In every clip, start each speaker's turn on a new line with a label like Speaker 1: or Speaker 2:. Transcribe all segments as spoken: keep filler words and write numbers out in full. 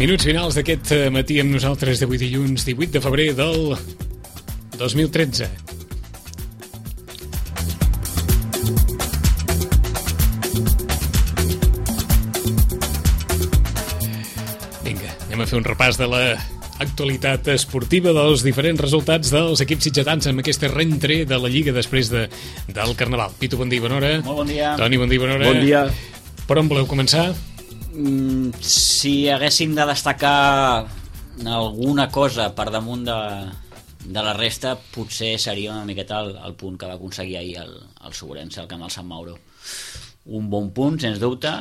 Speaker 1: Minuts finals d'aquest matí amb nosaltres d'avui dilluns divuit de febrer del dos mil tretze. Vinga, anem a fer un repàs de la actualitat esportiva, dels diferents resultats dels equips sitgetans amb aquesta rentré de la Lliga després de, del Carnaval. Pitu, bon dia, bona hora.
Speaker 2: Molt bon dia.
Speaker 1: Toni, bon dia, bona hora.
Speaker 3: Bon dia.
Speaker 1: Per on voleu començar?
Speaker 2: Mm, si haguéssim de destacar alguna cosa per damunt de, de la resta, potser seria una miqueta el, el punt que va aconseguir ahir el, el Sobrense, el camp del Sant Mauro. Un bon punt, sens dubte.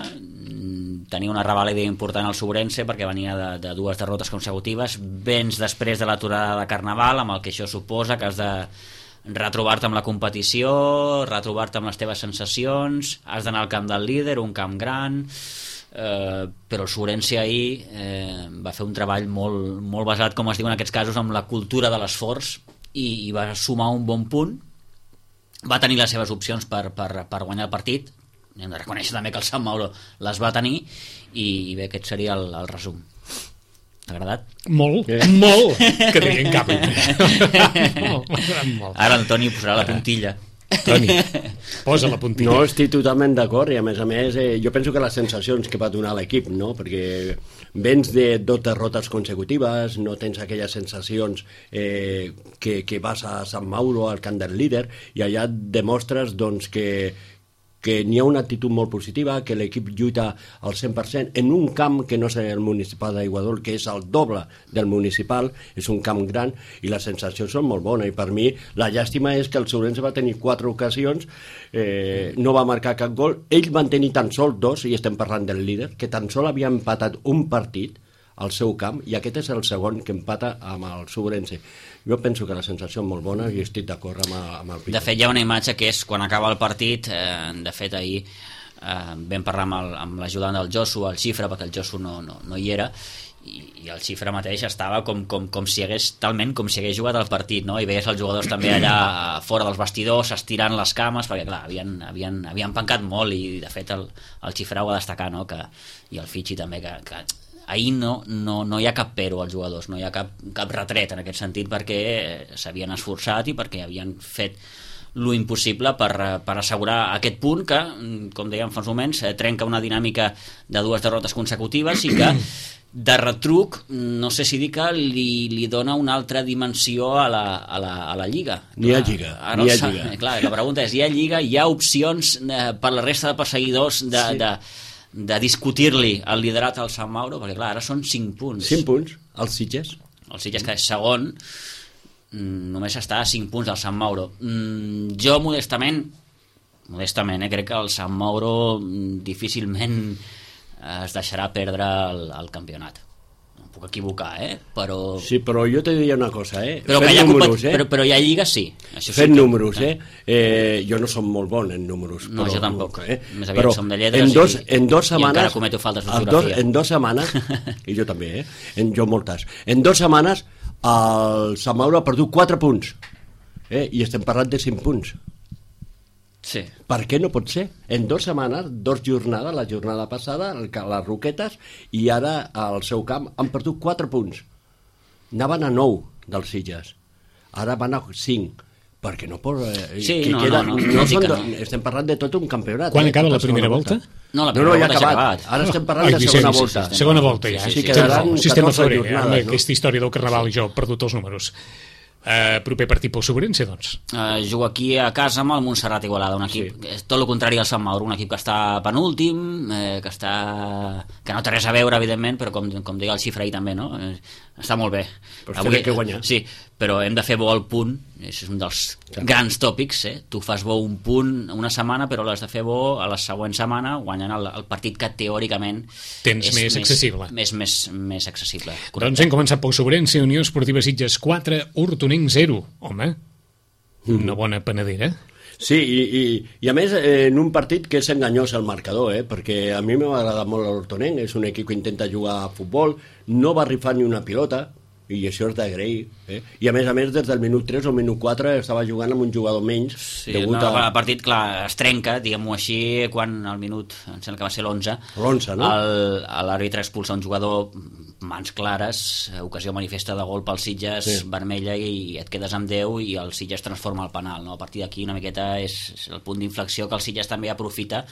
Speaker 2: Tenia una revàlida important al Sobrense perquè venia de, de dues derrotes consecutives, vens després de l'aturada de Carnaval, amb el que això suposa, que has de retrobar-te amb la competició, retrobar-te amb les teves sensacions, has d'anar al camp del líder, un camp gran, eh, però el Sobrense ahir eh, va fer un treball molt, molt basat, com es diu en aquests casos, amb la cultura de l'esforç, i, i va sumar un bon punt. Va tenir les seves opcions per, per, per guanyar el partit. Hem de reconèixer també que el Sant Mauro les va tenir, i, i bé, aquest seria el, el resum. T'ha agradat?
Speaker 1: Molt, eh? molt, que deien cap. molt, molt.
Speaker 2: Ara el Toni posarà la puntilla.
Speaker 1: Toni, posa la puntilla.
Speaker 3: No, estic totalment d'acord, i a més a més eh, jo penso que les sensacions que va donar l'equip, no? Perquè vens de dos derrotes consecutives, no tens aquelles sensacions eh, que, que vas a Sant Mauro, al camp del líder, i allà demostres doncs, que que n'hi ha una actitud molt positiva, que l'equip lluita al cent per cent en un camp que no és el municipal d'Aiguadol, que és el doble del municipal, és un camp gran, i les sensacions són molt bones, i per mi la llàstima és que el Sobrense va tenir quatre ocasions, eh, no va marcar cap gol, ells van tenir tan sols dos, i estem parlant del líder, que tan sols havia empatat un partit al seu camp, i aquest és el segon que empata amb el Sobrense. Jo penso que la sensació és molt bona i estic d'acord amb, amb el Pitu.
Speaker 2: De fet, hi ha una imatge que és quan acaba el partit, eh, de fet ahir eh, vam parlar amb, el, amb l'ajudant del Josu, el Xifra, perquè el Josu no, no, no hi era, i, i el Xifra mateix estava com, com, com si hagués, talment com si hagués jugat el partit, no? I veies els jugadors també allà fora dels vestidors estirant les cames, perquè clar, havien, havien, havien pencat molt, i de fet el, el Xifra ho va destacar, no? Que, i el Fitxi també, que, que ahir no, no, no hi ha cap pero als jugadors, no hi ha cap, cap retret en aquest sentit, perquè s'havien esforçat i perquè havien fet lo impossible per, per assegurar aquest punt que, com dèiem fa uns moments, trenca una dinàmica de dues derrotes consecutives i que de retruc, no sé si dir que li, li dona una altra dimensió a la, a la, a la Lliga.
Speaker 3: Ni hi ha Lliga,
Speaker 2: Ara,
Speaker 3: ni hi ha Lliga.
Speaker 2: Clar, la pregunta és, hi ha Lliga, hi ha opcions eh, per la resta de perseguidors de... Sí. de de discutir-li el liderat al Sant Mauro, perquè clar, ara són cinc punts.
Speaker 3: cinc punts, els Sitges.
Speaker 2: El Sitges, que és segon, només està a cinc punts del Sant Mauro. Jo, modestament, modestament, eh, crec que el Sant Mauro difícilment es deixarà perdre el, el campionat. Em puc equivocar, eh? Però...
Speaker 3: Sí, però jo te diria una cosa, eh?
Speaker 2: Però,
Speaker 3: Fent
Speaker 2: hi ha
Speaker 3: números,
Speaker 2: eh? però, però hi ha lligues, sí. Això
Speaker 3: Fent
Speaker 2: sí que...
Speaker 3: números, eh? eh? Jo no som molt bon en números.
Speaker 2: No,
Speaker 3: però,
Speaker 2: jo tampoc.
Speaker 3: Eh?
Speaker 2: Més aviat
Speaker 3: però
Speaker 2: som de lletres
Speaker 3: en dos,
Speaker 2: i,
Speaker 3: en dos setmanes,
Speaker 2: i encara cometo faltes
Speaker 3: en dos,
Speaker 2: d'ortografia.
Speaker 3: en dos setmanes, i jo també, eh? En, jo moltes. En dos setmanes el Sant Mauro ha perdut quatre punts. Eh? I estem parlant de cinc punts.
Speaker 2: Sí.
Speaker 3: Per què no pot ser? En dues setmanes, dos jornades, la jornada passada, les Roquetes, i ara al seu camp han perdut quatre punts. Anaven a nou dels Sitges. Ara van a cinc. Perquè no pot... Eh,
Speaker 2: sí,
Speaker 3: que
Speaker 2: no,
Speaker 3: queda,
Speaker 2: no, no,
Speaker 3: no,
Speaker 2: no,
Speaker 3: són,
Speaker 2: no.
Speaker 3: Estem parlant de tot un campionat.
Speaker 1: Quan
Speaker 3: eh,
Speaker 1: acaba
Speaker 3: tota
Speaker 1: la primera volta?
Speaker 2: No, la
Speaker 3: no, no, ja ha acabat.
Speaker 2: acabat.
Speaker 3: Ara estem parlant
Speaker 1: Ai,
Speaker 3: de
Speaker 1: Vicenç,
Speaker 3: segona
Speaker 1: sí,
Speaker 3: volta.
Speaker 1: sí, segona volta ja.
Speaker 2: Sí,
Speaker 3: sí,
Speaker 2: sí,
Speaker 3: quedaran
Speaker 1: sistema
Speaker 3: catorze
Speaker 1: febrer,
Speaker 3: jornades,
Speaker 1: eh?
Speaker 3: no?
Speaker 1: Aquesta història del Carnaval i jo he perdut els números. Uh, proper partit pel Sobrense, doncs.
Speaker 2: Uh, jugo aquí a casa amb el Montserrat Igualada, un equip, sí. tot el contrari al Sant Mauro, un equip que està penúltim, eh, que està que no té res a veure, evidentment, però com, com deia el Xifra ahir també, no? Eh, està molt bé.
Speaker 3: Però avui que guanyar.
Speaker 2: Sí, però hem de fer bo el punt, és un dels sí. grans tòpics, eh? Tu fas bo un punt una setmana, però l'has de fer bo a la següent setmana, guanyant el, el partit que teòricament
Speaker 1: tens més accessible.
Speaker 2: Més, més, més accessible. Correcte.
Speaker 1: Doncs hem començat pel Sobrense, Unió Esportiva Sitges quatre, Hortonenc zero. Home, una bona panadera.
Speaker 3: Sí, i, i, i a més eh, en un partit que és enganyós el marcador, eh, perquè a mi m'ha agradat molt l'Hortonenc, és un equip que intenta jugar a futbol, no va rifar ni una pilota, i això és d'agrair, eh? I a més a més des del minut tres o minut quatre estava jugant amb un jugador menys,
Speaker 2: sí,
Speaker 3: degut
Speaker 2: no,
Speaker 3: a...
Speaker 2: el partit, clar, es trenca, diguem-ho així, quan al minut, em sembla que va ser l'onze,
Speaker 3: l'onze, no?
Speaker 2: l'àrbitre expulsa un jugador mans clares, ocasió manifesta de gol pel Sitges, sí. vermella, i et quedes amb deu i el Sitges transforma el penal, no? A partir d'aquí una miqueta és el punt d'inflexió que el Sitges també aprofita,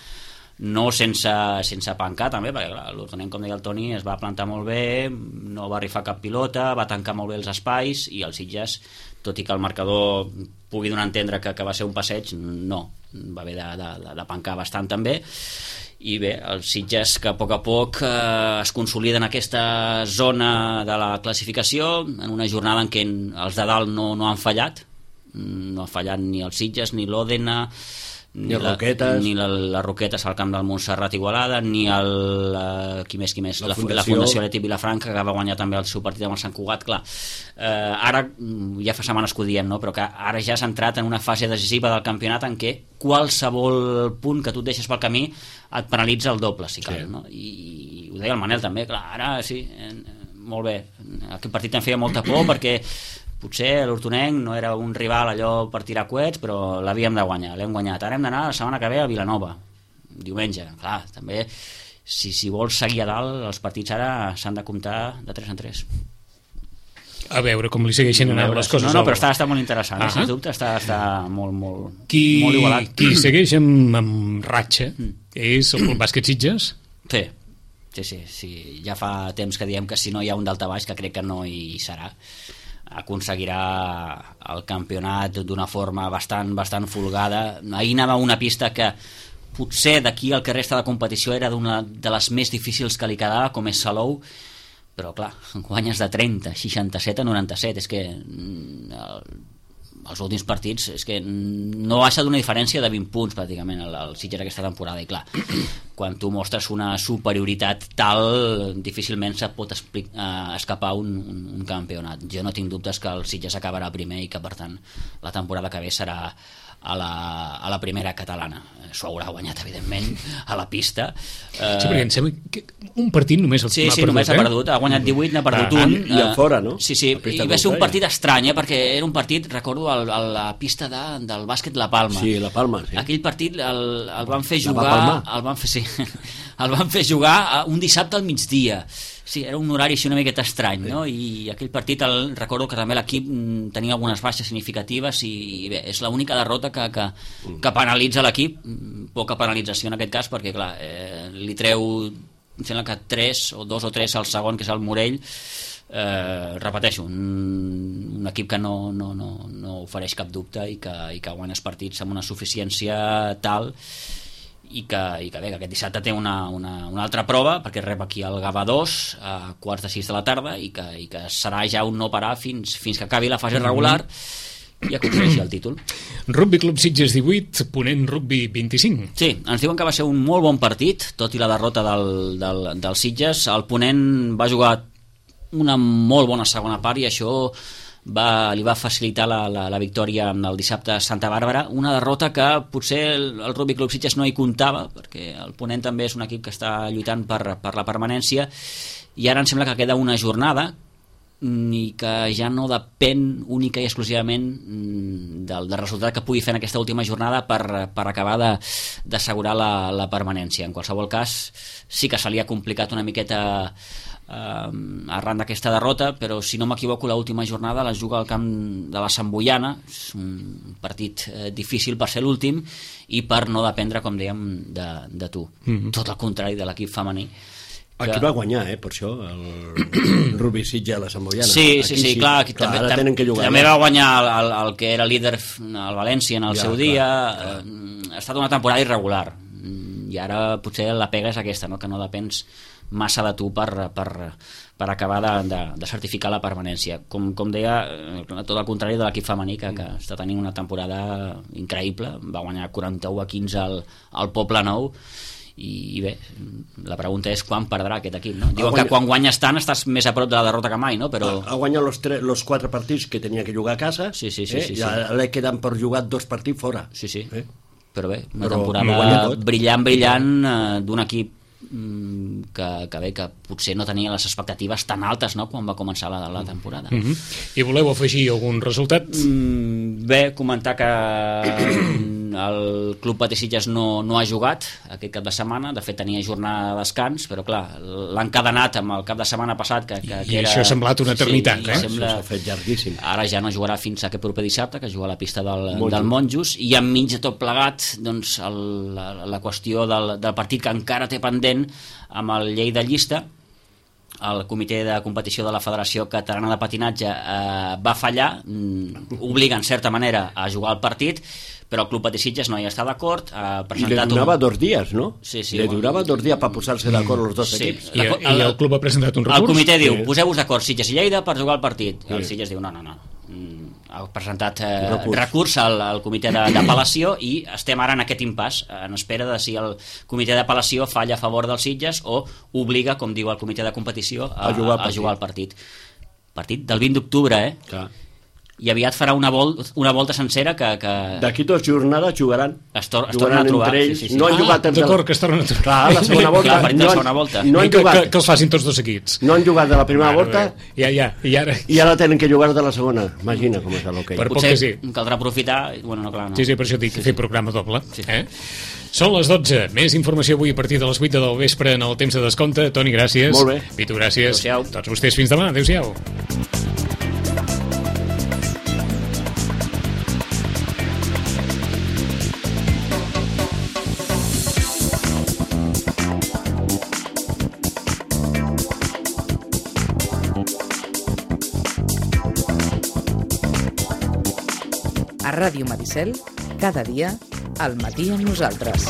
Speaker 2: no sense, sense pencar també, perquè clar, l'Hortonenc, com deia el Toni, es va plantar molt bé, no va rifar cap pilota, va tancar molt bé els espais, i el Sitges, tot i que el marcador pugui donar a entendre que, que va ser un passeig, no, va haver de, de, de pencar bastant també. I bé, els Sitges que a poc a poc eh, es consoliden en aquesta zona de la classificació, en una jornada en què els de dalt no, no han fallat, no ha fallat ni el Sitges, ni l'Òdena,
Speaker 3: ni, ni, la, Roquetes.
Speaker 2: ni la, la Roquetes al camp del Montserrat Igualada, ni el, uh, qui més, qui més?
Speaker 3: La,
Speaker 2: la
Speaker 3: Fundació,
Speaker 2: la Fundació Leti Vilafranca, que va guanyar també el seu partit amb el Sant Cugat. Clar, uh, ara ja fa setmanes que ho diem, no? Però que ara ja s'ha entrat en una fase decisiva del campionat en què qualsevol punt que tu et deixes pel camí et penalitza el doble, si cal, sí. no? I, i ho deia el Manel també, clar, ara sí, eh, molt bé, aquest partit em feia molta por perquè potser l'Hortonenc no era un rival allò per tirar coets, però l'havíem de guanyar, l'hem guanyat. Ara hem d'anar la setmana que ve a Vilanova, diumenge. Clar, també, si, si vols seguir a dalt, els partits ara s'han de comptar de tres en tres.
Speaker 1: A veure com li segueixen anant les coses.
Speaker 2: No, no, però està, està molt interessant, uh -huh. sens dubte, està, està molt, molt,
Speaker 1: qui,
Speaker 2: molt igualat.
Speaker 1: Qui segueix amb, amb ratxa mm. és el Club Bàsquet Sitges?
Speaker 2: Sí, sí, sí, sí, ja fa temps que diem que si no hi ha un daltabaix, que crec que no hi serà, aconseguirà el campionat d'una forma bastant, bastant folgada. Ahir anava una pista que potser d'aquí el que resta de competició era d'una de les més difícils que li quedava, com és Salou, però clar, guanyes de trenta, seixanta-set a noranta-set, és que el, els últims partits és que no baixa d'una diferència de vint punts pràcticament el, el Sitges aquesta temporada, i clar, quan tu mostres una superioritat tal, difícilment se pot explic, eh, escapar un, un, un campionat. Jo no tinc dubtes que el Sitges acabarà primer i que per tant la temporada que ve serà a la, a la primera catalana. S'ho haurà guanyat evidentment a la pista.
Speaker 1: Eh... Sí, perquè em sembla que un partit només el
Speaker 2: sí,
Speaker 1: ha
Speaker 2: sí,
Speaker 1: perdut,
Speaker 2: només
Speaker 1: eh?
Speaker 2: ha perdut, ha guanyat divuit, n'ha perdut
Speaker 3: ah,
Speaker 2: un.
Speaker 3: I a fora, no?
Speaker 2: Sí, sí, i va ser un partit estrany, eh, perquè era un partit, recordo, a la pista de, del bàsquet La Palma.
Speaker 3: Sí, La Palma, sí.
Speaker 2: Aquell partit el, el van fer jugar... El van fer, sí, el van fer jugar un dissabte al migdia. Sí, era un horari així una miqueta estrany, no? I aquell partit, el, recordo que també l'equip tenia algunes baixes significatives i, i bé, és l'única derrota que, que, que penalitza l'equip, poca penalització en aquest cas, perquè clar, eh, li treu, em sembla que tres o dos o tres al segon, que és el Morell. Eh, repeteixo, un, un equip que no, no, no, no ofereix cap dubte i que, i que guanya els partits amb una suficiència tal, i que, i que bé, que aquest dissabte té una, una, una altra prova, perquè rep aquí el Gavà dos a quarts de sis de la tarda, i que, i que serà ja un no parar fins, fins que acabi la fase regular i aconsegueixi el títol.
Speaker 1: Rugby Club Sitges divuit, Ponent Rugby vint-i-cinc.
Speaker 2: Sí, ens diuen que va ser un molt bon partit, tot i la derrota del, del, del Sitges. El Ponent va jugar una molt bona segona part i això va, li va facilitar la, la, la victòria el dissabte a Santa Bàrbara, una derrota que potser el, el Rugby Club Sitges no hi comptava, perquè el Ponent també és un equip que està lluitant per, per la permanència, i ara em sembla que queda una jornada i que ja no depèn única i exclusivament del, del resultat que pugui fer en aquesta última jornada per, per acabar d'assegurar la, la permanència. En qualsevol cas, sí que se li ha complicat una miqueta Uh, arran d'aquesta derrota, però si no m'equivoco l'última jornada la juga al camp de la Sant Boiana, és un partit uh, difícil per ser l'últim i per no dependre, com dèiem, de, de tu. Mm-hmm. Tot el contrari de l'equip femení. Que...
Speaker 3: Aquí va guanyar, eh, per això, el Rugby Sitges a la Sant Boiana.
Speaker 2: Sí, sí, sí, sí, clar, aquí clar, també, tenen que jugar, també va guanyar el, el, el que era líder al València en el ja, seu clar, dia. Clar. Uh, ha estat una temporada irregular i ara potser la pega és aquesta, no? Que no depens massa de tu per, per, per acabar de, de, de certificar la permanència. Com, com deia, tot el contrari de l'equip femení, que, que està tenint una temporada increïble, va guanyar quaranta-u a quinze al, al Poble Nou, i, i bé, la pregunta és quan perdrà aquest equip, no? Diuen guanya... que quan guanyes tant estàs més a prop de la derrota que mai, no? Però...
Speaker 3: Ha, ha guanyat los, tres, los quatre partits que tenia que jugar a casa,
Speaker 2: sí, sí, sí,
Speaker 3: eh?
Speaker 2: sí, sí.
Speaker 3: I ara li queden per jugar dos partits fora.
Speaker 2: Sí, sí,
Speaker 3: eh?
Speaker 2: Però bé, una
Speaker 3: però
Speaker 2: temporada brillant, brillant eh, d'un equip Que, que bé, que potser no tenia les expectatives tan altes, no?, quan va començar la, la temporada.
Speaker 1: Mm-hmm. I voleu afegir algun resultat?
Speaker 2: Mm, bé, comentar que el Club Patí Sitges no, no ha jugat aquest cap de setmana, de fet tenia jornada de descans, però clar, l'ha encadenat amb el cap de setmana passat que, que,
Speaker 1: I
Speaker 2: que era...
Speaker 1: això ha semblat una eternitat,
Speaker 2: sí,
Speaker 1: eh?
Speaker 2: Sembla...
Speaker 3: S'ha fet llarguíssim.
Speaker 2: Ara ja no jugarà fins aquest proper dissabte, que juga a la pista del
Speaker 3: Monjos,
Speaker 2: del Monjos, i enmig de tot plegat doncs, el, la, la qüestió del, del partit que encara té pendent amb el Lleida Llista. El comitè de competició de la Federació Catalana de Patinatge eh, va fallar, mm, obliga en certa manera a jugar el partit, però el Club Patí Sitges no hi està d'acord. Ha
Speaker 3: I li donava un... dos dies, no?
Speaker 2: Sí, sí.
Speaker 3: Li durava dos dies per posar-se d'acord els dos
Speaker 2: sí.
Speaker 3: equips.
Speaker 1: I, el, I el club ha presentat un recurs?
Speaker 2: El comitè diu,
Speaker 3: Sí.
Speaker 2: poseu-vos d'acord Sitges i Lleida per jugar el partit.
Speaker 3: Sí.
Speaker 2: El Sitges diu, no, no, no. Mm, ha presentat eh,
Speaker 3: Recurs.
Speaker 2: recurs al, al comitè de- d'apel·lació i estem ara en aquest impàs, en espera de si el comitè d'apel·lació falla a favor dels Sitges o obliga, com diu el comitè de competició, a,
Speaker 3: A jugar el
Speaker 2: a
Speaker 3: partit.
Speaker 2: jugar el partit. Partit del vint d'octubre, eh?
Speaker 3: Clar.
Speaker 2: I aviat farà una, vol una volta sencera que, que
Speaker 3: D'aquí dues jornades jugaran.
Speaker 2: es, tor es tornen
Speaker 3: Jugaran
Speaker 2: a trobar.
Speaker 3: entre ells.
Speaker 2: Sí, sí, sí.
Speaker 3: No han
Speaker 1: Ah,
Speaker 3: jugat entre...
Speaker 1: d'acord, que es tornen a trobar.
Speaker 3: Clar, la segona volta.
Speaker 2: Clar, partit de la
Speaker 3: no han-
Speaker 2: segona volta.
Speaker 3: No han
Speaker 1: que,
Speaker 3: jugat,
Speaker 1: que, que els facin tots dos equips.
Speaker 3: no han jugat de la primera
Speaker 1: Mare
Speaker 3: volta
Speaker 1: de Déu. Ja, ja, i ara...
Speaker 3: i ara tenen que jugar de la segona. Imagina com és l'hoquei.
Speaker 1: Per poc
Speaker 2: Potser
Speaker 1: que sí.
Speaker 2: caldrà aprofitar... Bueno, no, clar, no.
Speaker 1: Sí, sí, per això dic que fer programa doble. Eh? Són les dotze. Més informació avui a partir de les vuit del vespre en el temps de descompte. Toni, gràcies.
Speaker 3: Molt bé.
Speaker 1: Pitu, gràcies.
Speaker 2: Adéu-siau.
Speaker 1: Tots vostès fins demà. Adéu-siau.
Speaker 4: A Ràdio Maricel, cada dia, al matí amb nosaltres.